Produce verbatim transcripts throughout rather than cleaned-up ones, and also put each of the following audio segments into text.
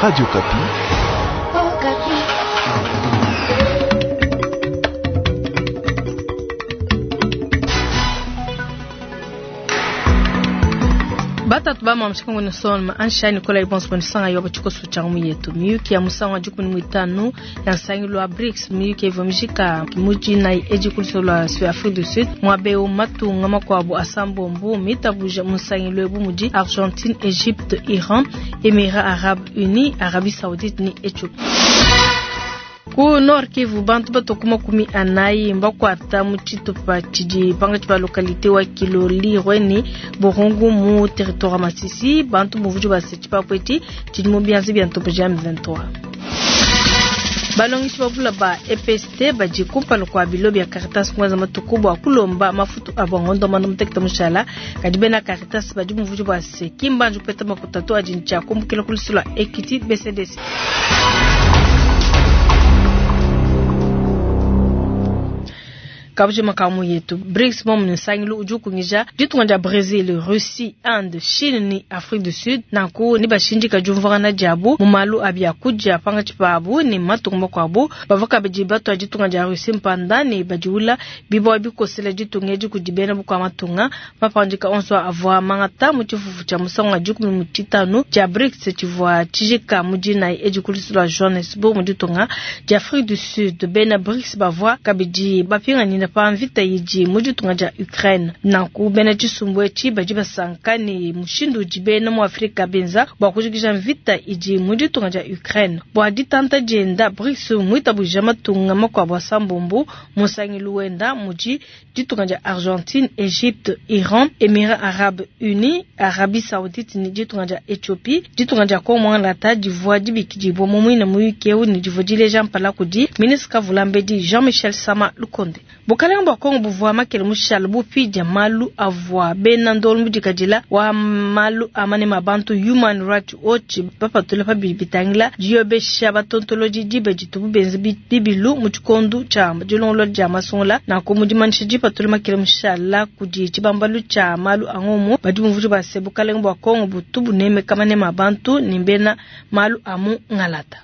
Radio Okapi. Batatu bamamshika ngone soma ansha Nicolas Ibons bonisanga yo bachikoso cha mu yetu miyuki ya musango wa jukuni mwitano ya nsangilo wa BRICS miyuki ivomishika muji na eji kuliso la Afrique du Sud mwabeo matunga makwabo asambombo mitabuja musangilo ebu muji Argentine, Egypte, Iran, Emirats Arabes Unis, Arabie Saoudite ni Ethiopie. Ku Nord Kivu bantu batokuma kumi anayi mbakwata mu tshitupa tshidi pangatshi pa localité wa Kilolirwe ni Burungu mu territoire wa Masisi bantu buvuju base tshipapweti tshidi mu bianza bia ntopo ja M vingt-trois. Balongishi bavula ba E P S T badi kumpala kua bilo bia Caritas mwanza matuku bua kulomba mafutu abo ngondo mano muteketa mushala kadi bena Caritas badi muvuju base kimbanju peta makutatu adi ntshia kumbukila kulusula Equity B C D C. Kabuje makamu yetu BRICS momu nsangilu uju kungija ditunga dia Brazil, Russie, Inde, Chine ni Afrique du Sud nanku ni bashindika jumvana diabu mu malu abia kuja panga tshipabu ni matunga makuabu bavoka bidi bato ditunga dia Russie mpanda ni badiula bibo bikosela ditunga edi kudibena bukwa matunga mapandika onso avua mangata mu tshifufu tshia musangu wa dikumi mu tshitanu tshia BRICS tshivua tshijika mu dinayi edi kulisula Johannesburg mu ditunga dia Afrique du Sud bena BRICS bavua kabidi bapinganyina pa mvita yidi mu ditunga dia Ukraine nanku bena tshisumbu etshi badi basanka ni mushindu udi bena mu Afrika benza bua kujikija mvita idi mu ditunga dia Ukraine bua ditanta dienda BRICS muitabuja matunga makuabu asambombo musangilu wenda mudi ditunga dia Argentine, Egypte, Iran, Emirats Arabes Unis, Arabie Saoudite ni ditunga dia Ethiopie ditunga dia Congo lata divua dibikidibua mu muine muyuki eu ni divua dileja mpala kudi ministre Kavulambedi Jean-Michel Sama Lukonde. Bukalenge bua Kongo buvua makele mushale bupidya malu avua bena ndolo mudikadila wa malu amane mabantu Human Rights Watch bapatula pa bibitangila diyobesha batontoloji dibe ditubu benze bibilu mu tshikondo tshia dilongolola dia masungula nanku mudimanisha dipatula makele mushala kudi tshibambalu tshia malu a ngomu badi bumvuja base bukalenge bua Kongo butu bunemeka manema abantu ni mbena malu amu ngalata.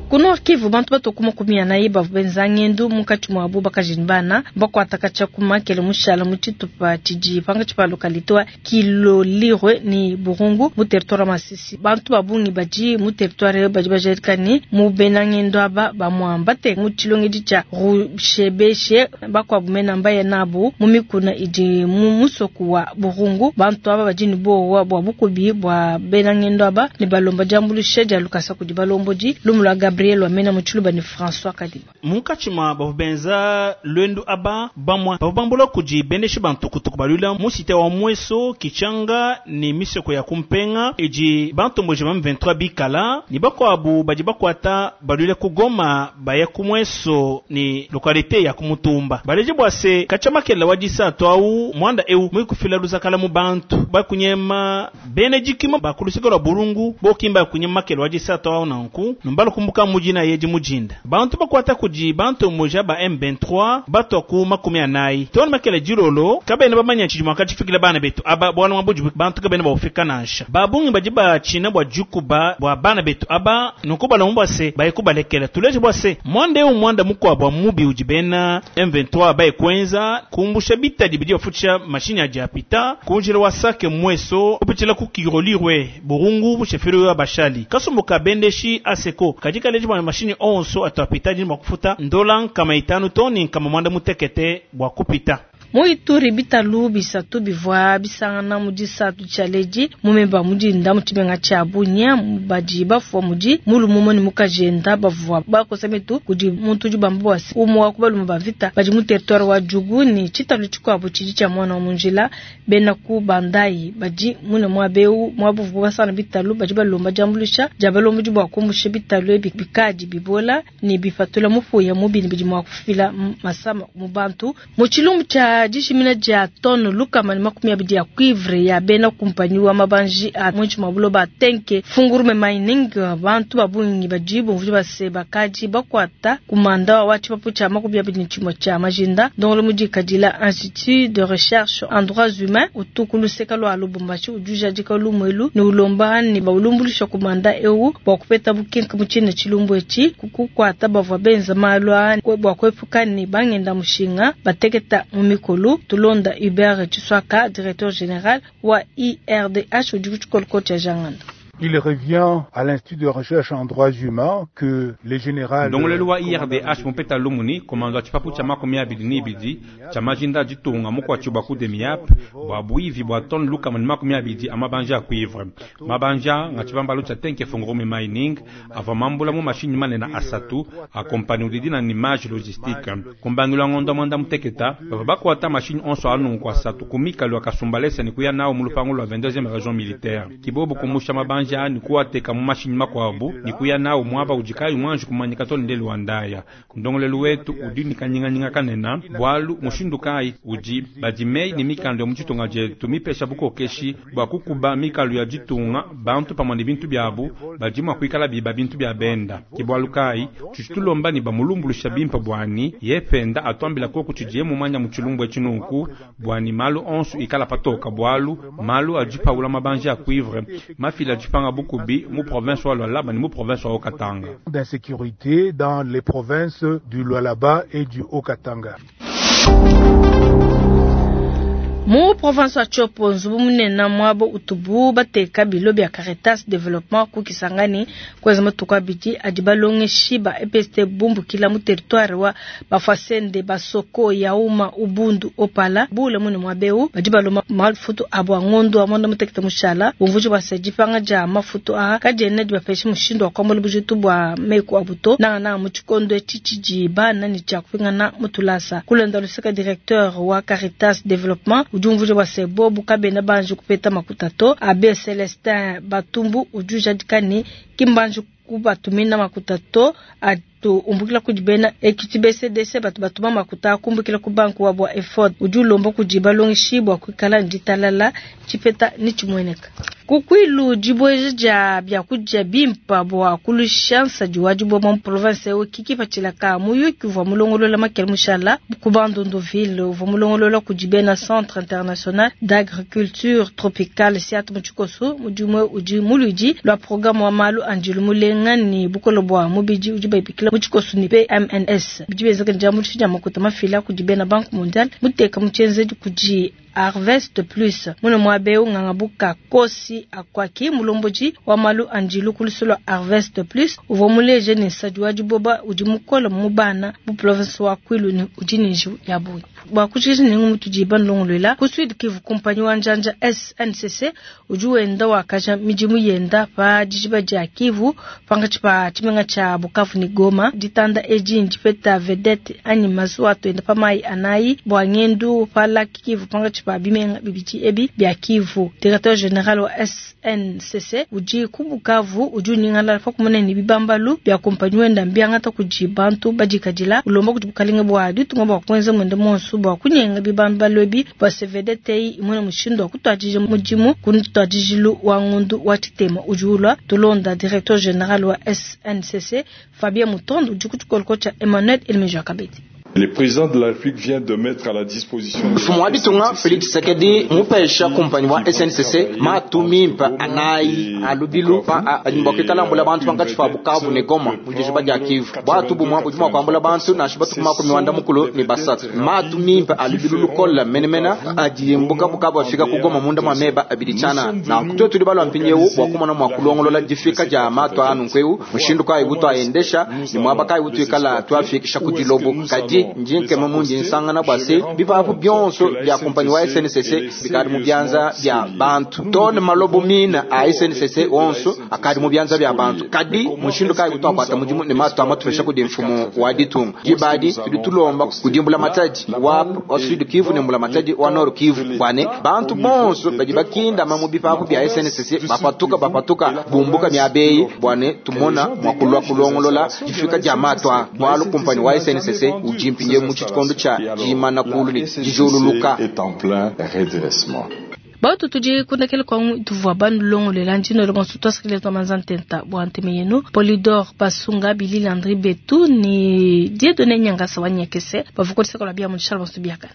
Ku Nord Kivu bantu batokuma kumi anayi bavua benza ngendu munkatshi muabu bakajini bana bakuataka tshia kumakele mushala mu tshitupa tshidi pangatshi pa localité wa Kilolirwe ni Burungu mu territoire wa Masisi. Bantu ba bungi badi mu territoire badi bajadika ni mu bena ngendu aba bamuambate mu tshilongedi tshia Rushebeshe bakuabu mena mbaye nabu mu mikuna idi mu musoku wa Burungu. Bantu aba badi ni bowa bua bukubi bua bena ngendu aba ne balomba diambulusha dia lukasa kudi balombodi lumu lua Gabriel Wamena Mutshuluba ni François Kadiba. Munkatshi mua bavua benza lwendu aba bamwa bavua bambula kudi bendeshi bantukutuku balula mu cité wa Mweso Kichanga ni misoko ya kumpenga edi bantomboji ba M vingt-trois bikala ni bakuabu badi bakuata balula ku Goma baya ku Mweso ni localité ya kumutumba baleje bua se kachamakela wa disatu au mwanda eu mwikufila luzakala mu bantu bakunyema bene jikima bakulusika lwa Burungu bokimba kunyema makela wa disatu au nanku numbalo kumbuka mujina yeji mujinda bantu bakwata kuji bantu moja ba M vingt-trois bato ku makumi anayi tona makele jirolo kabene bamanya chiji mwaka chifikile bana betu aba bwana mwabuji bantu kabene baufika nansha babungi baji ba china bwa jukuba bwa bana betu aba nuko balomba se bayikubalekela tuleje bwa se mwande eu mwanda mukwa bwa mubi uji bena M vingt-trois baye kwenza kumbusha bitadi bidi bafutsha mashini ya japita kunjira wasake mweso upichila ku Kirolirwe Burungu bushefiri wa bashali kasumbuka bendeshi aseko kajika leji bwa mashini onso atapita jini makufuta ndola kama itanu toni kama mwanda mutekete bwa kupita. Mu Ituri bitalu bisatu bivua bisangana mu disatu tshia ledi mumemba mudi nda mu tshimenga tshia Bunia badi bafua mudi mulumu ni mukajenda bavua bakosa metu kudi muntu udi bamba bua se umwe wa ku balume ba vita badi mu territoire wa Djugu ni tshitalu tshikuabu tshidi tshia mwana wa munjila bena ku bandai badi mune muabeu muabuvu basana bitalu badi balomba diambulusha dia balomba di bua kumbusha bitalu ebi bikadi bibola ni bipatula mupuya mubi ni bidi mua kufila masama mu bantu mu tshilumbu tshia Bua dijimina dia tone lukama ne makumi abidi ya cuivre ya bena kumpanyi wa mabanji a muinshi mua buloba Tenke Fungurume Mining, bantu ba bungi badi bumvua base bakadi bakuata kumanda wa tshipapu tshia makumi abidi ne tshimue tshia majinda ndongolo mudikadila Institut de recherche en droits humains utu ku luseka lua Lubumbashi udi ujadika lumuelu ne ulomba ne baulumbulusha kumanda eu bua kupeta bukenke mu tshina tshilumbu etshi kukuata bavua benza malu a bua kuepuka ne bangenda mushinga bateketa mu mikolo. Tulonda Hubert Chiswaka, directeur général wa I R D H udi ku tshikoloko tshia Janganda. Il revient à l'Institut de recherche en droits humains que les généraux Ndongolelu wa I R D H mupeta lumuni komando tshipapu tshia makumi abidi ne ibidi tshia majinda ditunga mukwatshi bua ku DEMIAP bua buivi bua tone lukama ne makumi abidi a mabanja a cuivre. Mabanja nga tshibambalu tshia Tenke Fungurume Mining avua mambula mu mashinyi manene asatu a kompani udi dina ni Mage Logistique. Kumbangilwa ngondo mwanda muteketa bavua bakuata mashinyi onso anunku asatu ku mikalu ya Kasumbalesa ne kuya nawo mu lupangu lua vingt-deuxième région militaire. Kibobo kumusha mabanja ni kuateka mu mashinyi makuabu ni kuya nawo mwaba ujikayi mwanji kumanyika to ndelu wa ndaya. Ndongolelu wetu udi ni kanyinganyinga kanena bwalu mushindu kai udi badimei ni mikando ya muchitunga jetu mipesha bukokeshi bwa kukuba mikalu ya jitunga bantu pamwe ne bintu byabu badimwa kuikala biba bintu bya benda. Kibwalu kai tuchitulomba ni bamulumbulusha bimpa bwani yependa atwambila koku chijiye mumanya muchilumbu echinuku bwani malu onsu ikala patoka bwalu malu ajipaula mabanja ya cuivre mafila ajipanga bukubi mu province wa Lualaba ni mu province wa Haut-Katanga. D'insécurité dans les provinces du Lualaba et du Haut-Katanga. Mu province wa Tshopo nzubu munene mwabo utubu bateka bilo bya Caritas Development ku Kisangani kweza matuku abidi adi balongeshi ba E P S T bumbukila mu territoire wa Bafwasende Basoko Yauma Ubundu Opala bule mune mwabeu badi baloma mafutu abo ngondo amonda mutekete mushala bumvuji bwa sejipanga ja mafutu aha kajene di bapeshe mushindo wa kwambola bujitu bwa meku abuto na na mu tshikondo tshitshidi bana ni tshia kupingana mutulasa kulenda luseka directeur wa Caritas Development ujumvuje wa sebo bukabena banju kupeta makutato Abbé Celestin Batumbu ujuja dikani kimbanju kubatumina makutato atu umbukila kujibena ekiti B C D C batu batuma makuta kumbukila ku banku wa bwa effort ujulomba kujiba longishi bwa kwikala nditalala chipeta ni chimweneka kukwilu jibweje ja bya kuja bimpa bwa kulushansa jiwaji bwa mu province we kikipa chilaka muyuki vwa mulongolola makele mushala ku Bandundu-ville vwa mulongolola kujibena Centre International d'Agriculture Tropicale Siat muchikoso mujumwe uji muludi lwa programme wa malu anjilu mulenga ni bukolo bwa mubiji uji baipikila muchikoso ni P M N S bijibezeka njamu tshija makuta mafila kujibena Banque Mondiale muteka muchenze kuji Harvest Plus muno mwabeu ngangabuka kosi akwaki mulomboji wa malu anjilu kulusolo Harvest Plus uvo muleje ni sajwa jiboba udi mukola mubana bu province wa Kwilu ni udi ninju ya buyi bwa kuchikisha ningu mutujiba nlongolwela ku Sud Kivu kumpanyi wa njanja S N C C udi wenda wakaja mijimu yenda pa dijiba dia Kivu panga chipa chimenga cha Bukavu ni Goma ditanda eji njipeta vedette anyi mazuwa tuenda pa mai anayi bwa ngendu pa laki Kivu panga chipa bimenga bibiti ebi bya Kivu. Directeur général wa S N C C udi ku Bukavu udi ningala fa kumene ni bibambalu bya kumpanyi wenda mbyangata kujibantu badikadila ulomba kuti bukalinga bwa ditunga bwa kwenza mwenda monsu bwa kunyenga bibambalu ebi bwa C V D T I imwe mushindo wa kutwajije mujimu kunutwajijilu wa ngundu wa chitema ujulwa tulonda directeur général wa S N C C Fabien Mutondo udi kutukolko cha Emmanuel Elmeja Kabedi. Le président de la République vient de mettre à la disposition Mfumo wa ditunga Felix Tshisekedi mupesha kumpanyi wa S N C C matumimpa anayi alubilu pa anyimba mbula bantu bangachi fa Bukavu ne Goma mujishi ba Kivu bwatu bumwa bujuma kwambula bantu na shiba tukuma ku miwanda mukulu ni basatu matumimpa alubilu lukola menemena ajiyembuka Bukavu afika ku Goma munda mwameba abilichana na kutwe tuli balwa mpinyewu bwa kumona mwa kulongolola jifika ja matu anu nkweu mushindu kai buto aendesha ni mwaba kai buto ikala tuafikisha kujilobo kadi njinke mamunji nsangana bwase bipapu byonso bya kumpanyi wa S N C C bikari mu byanza bya bantu tone malobo mina a S N C C onso akari mu byanza bya bantu kadi mushindu kai buto akwata mujimu ne matu amatufesha kudi mfumo wa ditunga jibadi tuditulomba kudimbula mataji wa wa Sud Kivu ne mbula mataji wa Nord Kivu bwane bantu bonso badi bakinda mamu bipapu bya S N C C bapatuka bapatuka bumbuka myabeyi bwane tumona mwakulwa kulongolola jifika jamatwa bwalu kumpanyi wa S N C C uji mpindieu mu tshikondo tshia diimana kuulu ne dijululuka. Est en plein redressement. Bautu tudi kundekele kwangu tuvua banulongolela ndino le bonso twasikile twa manzantenta bwa nteme yenu Polydor Basunga Billy Landry Betu ni Dieudonné Nyangasa wa Nyekese bavukotisaka la bia mu bonso biakana.